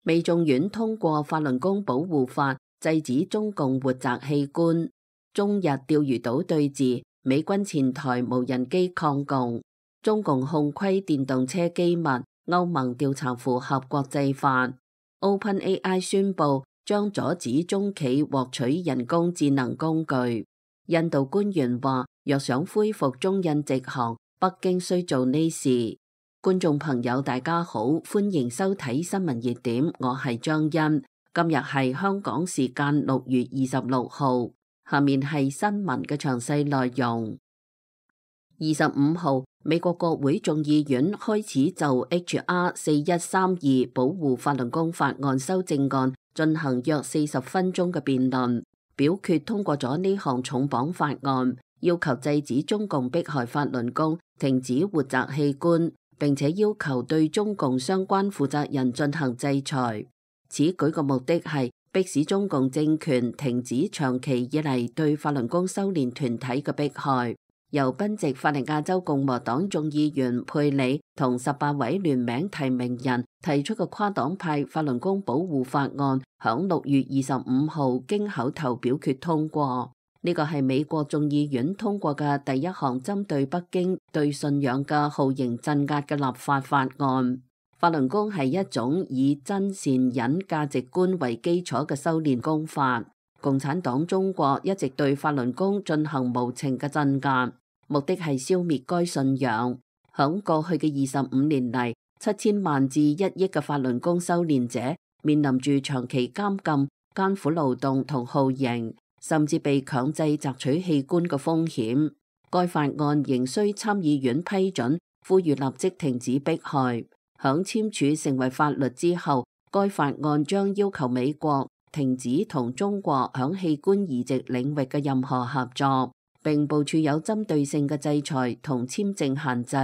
美眾院通過法輪功保護法，制止中共活摘器官。中日釣魚島對峙，美軍前台無人機抗共。中共控窺電動車機密，歐盟調查符合國際法。OpenAI 宣布將阻止中企獲取人工智能工具。印度官員話，若想恢復中印直航，北京需做呢事。觀眾朋友大家好，歡迎收睇新聞熱點，我係張欣。今日係香港時間6月26號，下面係新聞嘅詳細內容。25號，美國國會眾議院開始就 H.R. 4132保護法輪功法案修正案進行約40分鐘嘅辯論，表決通過咗呢項重磅法案，要求制止中共迫害法輪功，停止活摘器官，並且要求對中共相關負責人進行制裁。此舉嘅目的係迫使中共政權停止長期以嚟對法輪功修煉團體嘅迫害。由賓夕法尼亞州共和黨眾議員佩里同18位聯名提名人提出嘅跨黨派法輪功保護法案，響6月25號經口頭表決通過。呢個係美國眾議院通過嘅第一項針對北京對信仰嘅酷刑鎮壓嘅立法法案。法輪功係一種以真善忍價值觀為基礎嘅修煉功法。共產黨中國一直對法輪功進行無情嘅鎮壓，目的係消滅該信仰。響過去嘅25年嚟，7000萬至1億嘅法輪功修煉者面臨住長期監禁、艱苦勞動同酷刑，甚至被強制摘取器官嘅風險。該法案仍需參議院批准，呼籲立即停止迫害。響簽署成為法律之後，該法案將要求美國停止同中國響器官移植領域嘅任何合作，並部署有針對性嘅制裁同簽證限制，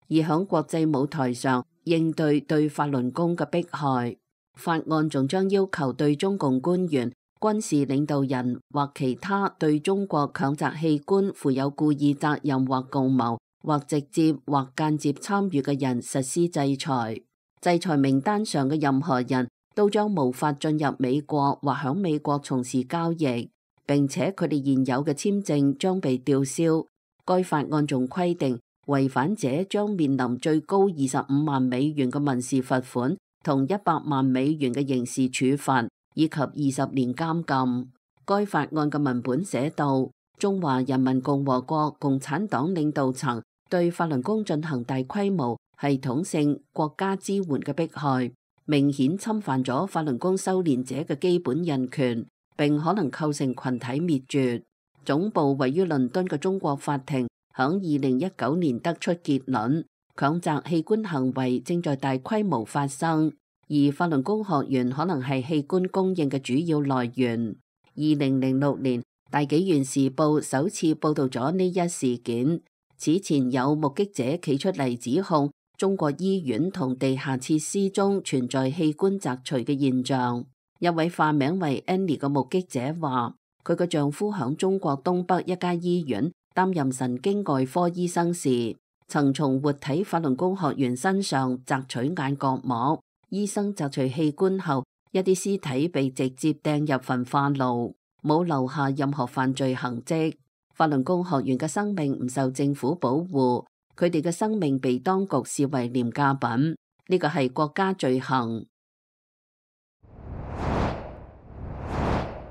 而響國際舞台上應對對法輪功嘅迫害。法案仲將要求對中共官員、軍事領導人或其他對中國強摘器官負有故意責任或共謀或直接或間接參與嘅人實施制裁。制裁名單上嘅任何人都將無法進入美國或響美國從事交易，並且佢哋現有嘅簽證將被吊銷。該法案仲規定，違反者將面臨最高25萬美元嘅民事罰款同100萬美元嘅刑事處罰，以及20年監禁。該法案嘅文本寫道：中華人民共和國共產黨領導層對法輪功進行大規模、系統性國家支援嘅迫害，明顯侵犯咗法輪功修煉者嘅基本人權，並可能構成群體滅絕。總部位於倫敦嘅中國法庭響2019年得出結論，強摘器官行為正在大規模發生，而法輪功學員可能係器官供應嘅主要來源。2006年，大紀元時報首次報道咗呢一事件。此前有目擊者企出嚟指控中國醫院同地下設施中存在器官摘除嘅現象。一位化名為 Annie 嘅目擊者話，佢嘅丈夫響中國東北一家醫院擔任神經外科醫生時，曾從活體法輪功學員身上摘取眼角膜。醫生摘除器官後，一啲屍體被直接掟入焚化爐，冇留下任何犯罪痕跡。法輪功學員嘅生命唔受政府保護，佢哋嘅生命被當局視為廉價品，呢個係國家罪行。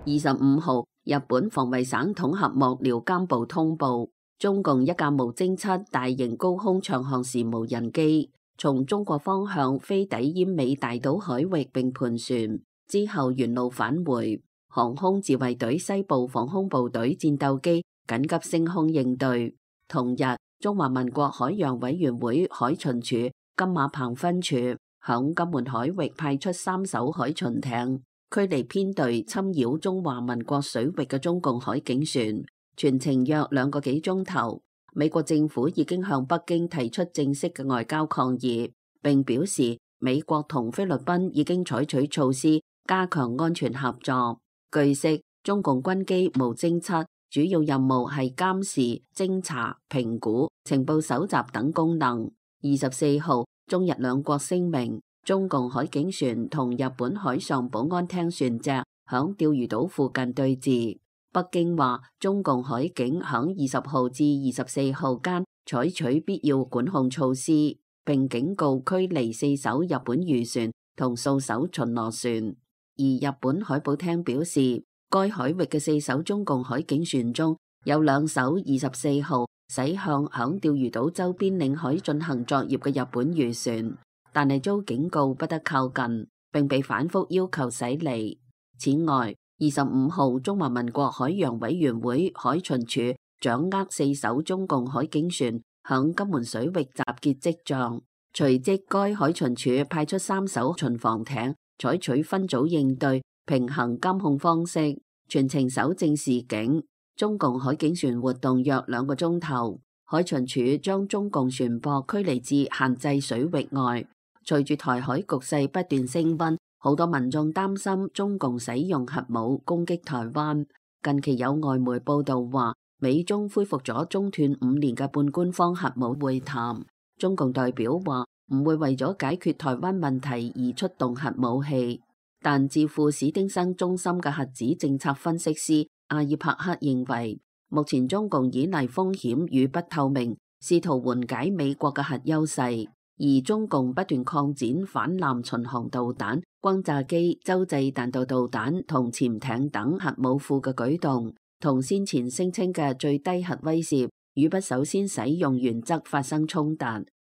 25號，日本防衛省統合幕僚監部通報，中共一架無偵測大型高空長航時無人機從中國方向飛抵奄美大島海域並盤旋，之後原路返回。航空自衛隊西部防空部隊戰鬥機緊急升空應對。同日，中華民國海洋委員會海巡署金馬棚分署響金門海域派出3艘海巡艇，驅離編隊侵擾中華民國水域嘅中共海警船，全程約2個幾鐘頭。美國政府已經向北京提出正式嘅外交抗議，並表示美國同菲律賓已經採取措施加強安全合作。據悉，中共軍機無偵測主要任務係監視、偵查、評估、情報搜集等功能。24號，中日兩國聲明，中共海警船同日本海上保安廳船隻響釣魚島附近對峙。北京話中共海警響20號至24號間採取必要管控措施，並警告驅離4艘日本漁船同數艘巡邏船。而日本海保廳表示，該海域嘅4艘中共海警船中有2艘24號駛向響釣魚島周邊領海進行作業嘅日本漁船，但係遭警告不得靠近，並被反覆要求駛離。此外，25號中華民國海洋委員會海巡署掌握4艘中共海警船響金門水域集結跡象，隨即該海巡署派出3艘巡防艇，採取分組應對、平衡監控方式，全程守正示警。中共海警船活動約2個鐘頭，海巡署將中共船舶驅離至限制水域外。隨住台海局勢不斷升溫，好多民眾擔心中共使用核武攻擊台灣。近期有外媒報道話，美中恢復咗中斷5年嘅半官方核武會談。中共代表話唔會為咗解決台灣問題而出動核武器，但智庫史丁生中心嘅核子政策分析師阿爾帕克認為，目前中共依賴風險與不透明，試圖緩解美國嘅核優勢，而中共不斷擴展反艦巡航導彈、轟炸機、洲際彈道導彈同潛艇等核武庫嘅舉動，同先前聲稱嘅最低核威懾與不首先使用原則發生衝突。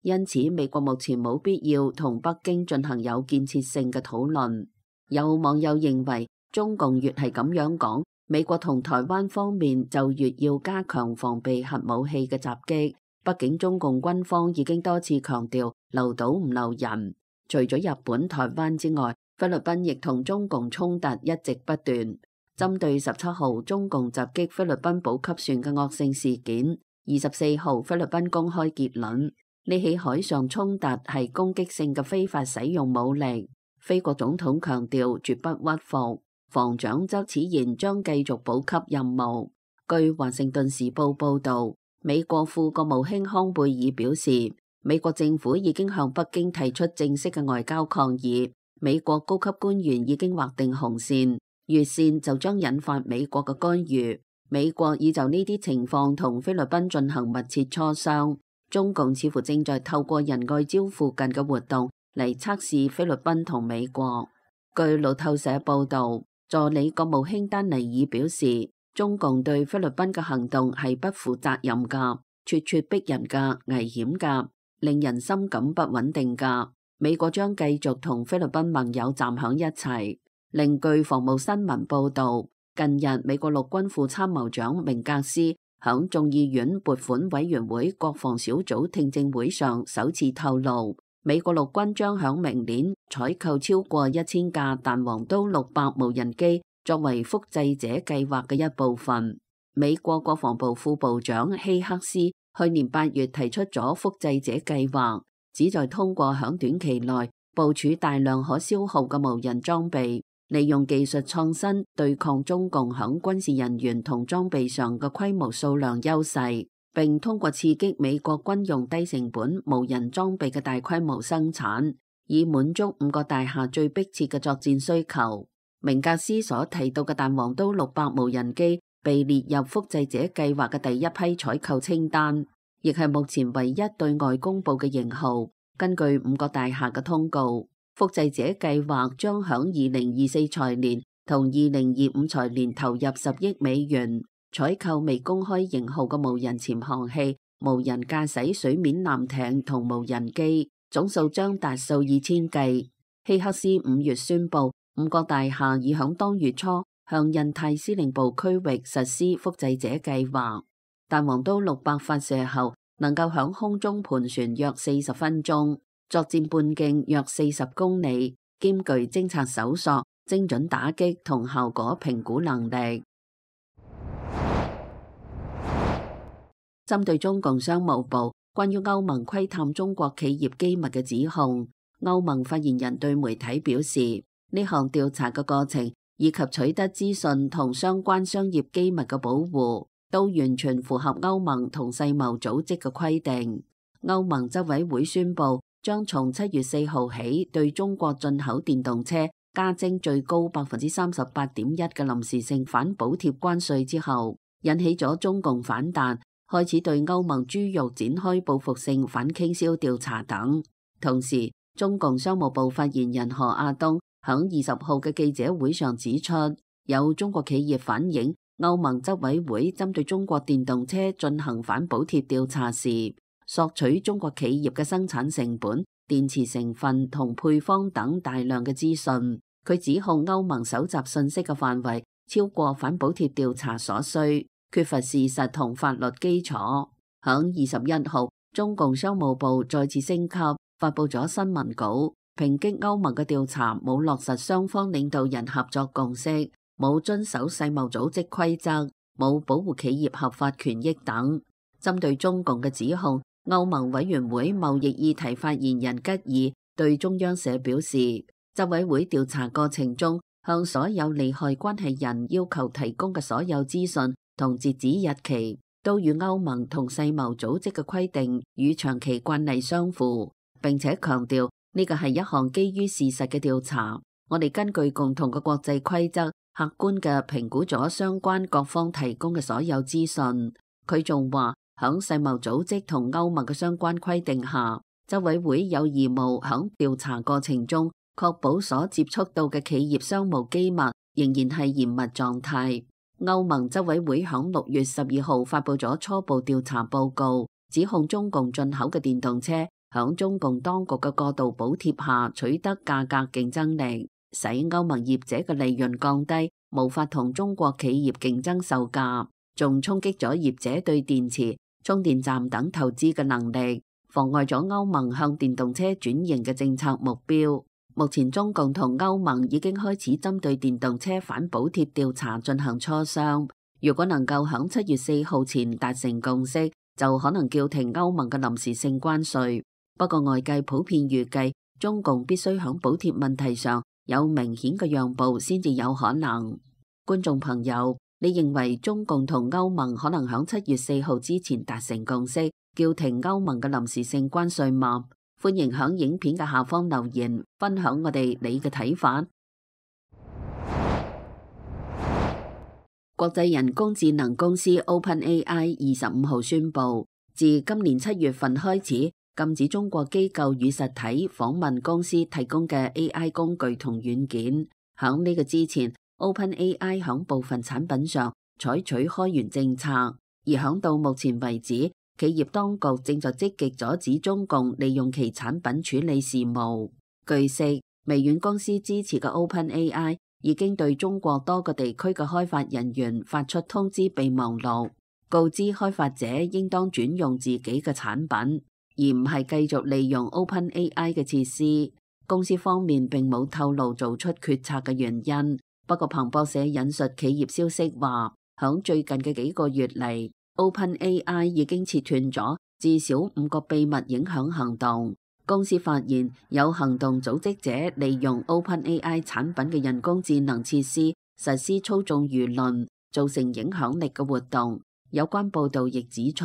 因此，美國目前冇必要同北京進行有建設性嘅討論。有網友認為，中共越係咁樣講，美國同台灣方面就越要加強防備核武器嘅襲擊。畢竟中共軍方已經多次強調留島唔留人。除咗日本、台灣之外，菲律賓亦同中共衝突一直不斷。針對17號中共襲擊菲律賓補給船嘅惡性事件，24號菲律賓公開結論，呢起海上衝突係攻擊性嘅非法使用武力。菲國總統強調絕不屈服，防長則此言將繼續補給任務。據華盛頓時報報道，美國副國務卿康貝爾表示，美國政府已經向北京提出正式嘅外交抗議，美國高級官員已經劃定紅線，越線就將引發美國嘅干預。美國已就呢啲情況同菲律賓進行密切磋商，中共似乎正在透過仁愛礁附近嘅活動嚟測試菲律賓同美國。據路透社報道，助理國務卿丹尼爾表示，中共對菲律賓嘅行動係不負責任㗎、咄咄逼人㗎、危險㗎、令人深感不穩定㗎。美國將繼續同菲律賓盟友站響一齊。另據防務新聞報道，近日美國陸軍副參謀長明格斯響眾議院撥款委員會國防小組聽證會上首次透露，美國陸軍將響明年採購超過1000架彈簧刀600無人機，作為複製者計劃嘅一部分。美國國防部副部長希克斯去年8月提出咗複製者計劃，旨在通過響短期內部署大量可消耗嘅無人裝備，利用技術創新對抗中共響軍事人員同裝備上嘅規模數量優勢，並通過刺激美國軍用低成本無人裝備嘅大規模生產，以滿足5個大廈最迫切嘅作戰需求。明格斯所提到嘅彈簧刀600無人機被列入複製者計劃嘅第一批採購清單，亦係目前唯一對外公布嘅型號。根據5個大廈嘅通告，複製者計劃將響2024財年同2025財年投入10億美元，採購未公開型號嘅無人潛航器、無人駕駛水面艦艇同無人機，總數將達數以千計。希克斯5月宣布，5個大廈已響當月初向印太司令部區域實施複製者計劃。彈簧刀600發射後，能夠響空中盤旋約40分鐘，作戰半徑約40公里，兼具偵察搜索、精準打擊同效果評估能力。針對中共商務部關於歐盟窺探中國企業機密嘅指控，歐盟發言人對媒體表示，呢項調查嘅過程以及取得資訊同相關商業機密嘅保護，都完全符合歐盟同世貿組織嘅規定。歐盟執委會宣布，將從7月4號起對中國進口電動車加徵最高38.1%嘅臨時性反補貼關稅之後，引起咗中共反彈，開始對歐盟豬肉展開報復性反傾銷調查等。同時，中共商務部發言人何亞東響20號嘅記者會上指出，有中國企業反映，歐盟執委會針對中國電動車進行反補貼調查時，索取中國企業嘅生產成本、電池成分同配方等大量嘅資訊。佢指控歐盟搜集信息嘅範圍超過反補貼調查所需，缺乏事實同法律基礎。響21號，中共商務部再次升級，發佈咗新聞稿，抨擊歐盟嘅調查冇落實雙方領導人合作共識，冇遵守世貿組織規則，冇保護企業合法權益等。針對中共嘅指控，歐盟委員會貿易議題發言人吉爾對中央社表示，執委會調查過程中，向所有利害關係人要求提供嘅所有資訊同截止日期，都與歐盟同世貿組織嘅規定與長期慣例相符，並且強調呢個係一項基於事實嘅調查。我哋根據共同嘅國際規則，客觀嘅評估咗相關各方提供嘅所有資訊。佢仲話，響世貿組織同歐盟嘅相關規定下，執委會有義務響調查過程中確保所接觸到嘅企業商務機密仍然係嚴密狀態。歐盟執委會響6月12號發佈咗初步調查報告，指控中共進口嘅電動車響中共當局嘅過度補貼下取得價格競爭力，使歐盟業者嘅利潤降低，無法同中國企業競爭售價，仲衝擊咗業者對電池、充電站等投資嘅能力，妨礙咗歐盟向電動車轉型嘅政策目標。目前中共同歐盟已經開始針對電動車反補貼調查進行磋商，如果能夠喺7月4號前達成共識，就可能叫停歐盟嘅臨時性關稅。不過外界普遍預計，中共必須喺補貼問題上有明顯嘅讓步先至有可能。觀眾朋友，你認為中共同歐盟可能喺7月4號之前達成共識，叫停歐盟嘅臨時性關稅嗎？歡迎喺影片嘅下方留言，分享我哋你嘅睇法。國際人工智能公司 OpenAI 25號宣布，自今年7月份開始，禁止中國機構與實體訪問公司提供嘅 AI 工具同軟件。喺呢個之前，OpenAI 喺部分產品上採取開源政策，而喺到目前為止，企業當局正在積極阻止中共利用其產品處理事務。據悉，微軟公司支持嘅 OpenAI 已經對中國多個地區嘅開發人員發出通知備忘錄，告知開發者應當轉用自己嘅產品，而唔係繼續利用 OpenAI 嘅設施。公司方面並冇透露做出決策嘅原因。不過彭博社引述企業消息話，響最近嘅幾個月嚟，OpenAI 已經切斷咗至少5個秘密影響行動。公司發現有行動組織者利用 OpenAI 產品嘅人工智能設施實施操縱輿論、造成影響力嘅活動。有關報導亦指出，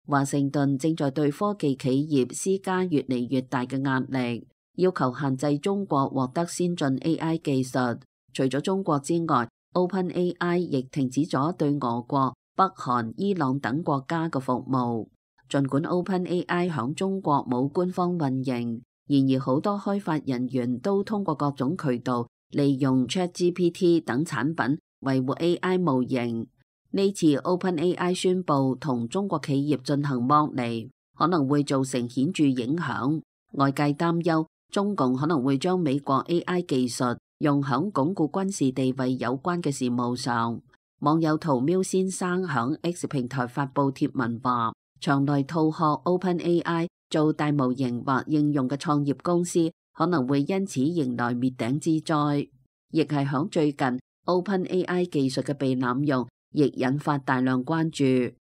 華盛頓正在對科技企業施加越嚟越大嘅壓力，要求限制中國獲得先進 AI 技術。除咗中國之外，OpenAI 亦停止咗對俄國、北韓、伊朗等國家嘅服務。儘管 OpenAI 響中國冇官方運營，然而好多開發人員都通過各種渠道利用 ChatGPT 等產品維護 AI 模型。呢次 OpenAI 宣布同中國企業進行剝離，可能會造成顯著影響。外界擔憂中共可能會將美國 AI 技術用響鞏固軍事地位有關嘅事務上。網友屠喵先生響 X 平台發佈貼文話，場內套學 OpenAI 做大模型或應用嘅創業公司可能會因此迎來滅頂之災。亦係響最近 OpenAI 技術嘅被濫用，亦引發大量關注。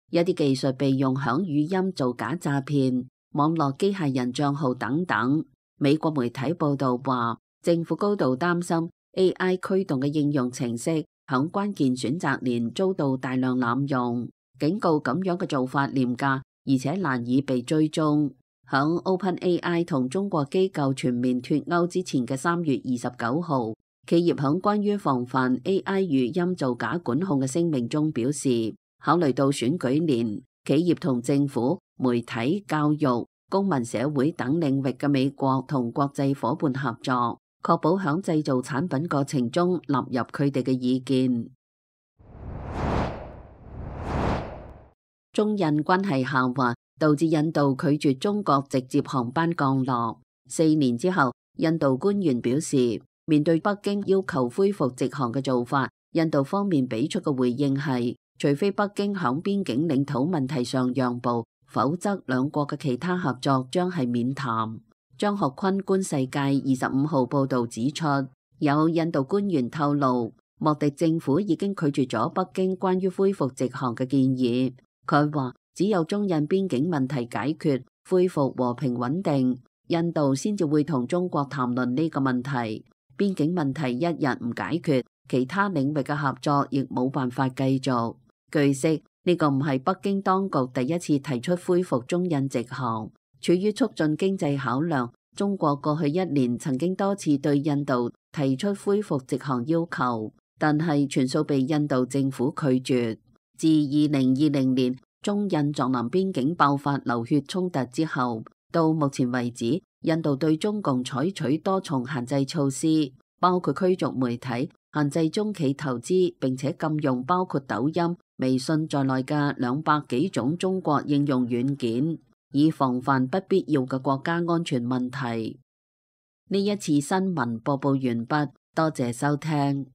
一啲技術被用響語音做假詐騙、網絡機械人賬號等等。美國媒體報道話，政府高度擔心 AI 驅動嘅應用程式響關鍵選擇年遭到大量濫用，警告咁樣嘅做法廉價，而且難以被追蹤。響 OpenAI 同中國機構全面脫鈎之前嘅3月29號，企業響關於防範 AI 語音造假管控嘅聲明中表示，考慮到選舉年，企業同政府、媒體、教育、公民社會等領域嘅美國同國際夥伴合作，確保響製造產品過程中納入佢哋嘅意見。中印關係下滑，導致印度拒絕中國直接航班降落。4年之後，印度官員表示，面對北京要求恢復直航嘅做法，印度方面俾出嘅回應係，除非北京響邊境領土問題上讓步，否則兩國嘅其他合作將係免談。張學坤觀世界25號報導指出，有印度官員透露，莫迪政府已經拒絕咗北京關於恢復直航嘅建議。佢話，只有中印邊境問題解決，恢復和平穩定，印度先至會同中國談論呢個問題。邊境問題一日唔解決，其他領域嘅合作亦冇辦法繼續。據悉，呢個唔係北京當局第一次提出恢復中印直航。出於促進經濟考量，中國過去1年曾經多次對印度提出恢復直航要求，但係全數被印度政府拒絕。自2020年中印藏南邊境爆發流血衝突之後，到目前為止，印度對中共採取多重限制措施，包括驅逐媒體、限制中企投資，並且禁用包括抖音、微信在內嘅200幾種中國應用軟件，以防範不必要嘅國家安全問題。呢一次新聞播報完畢，多謝收聽。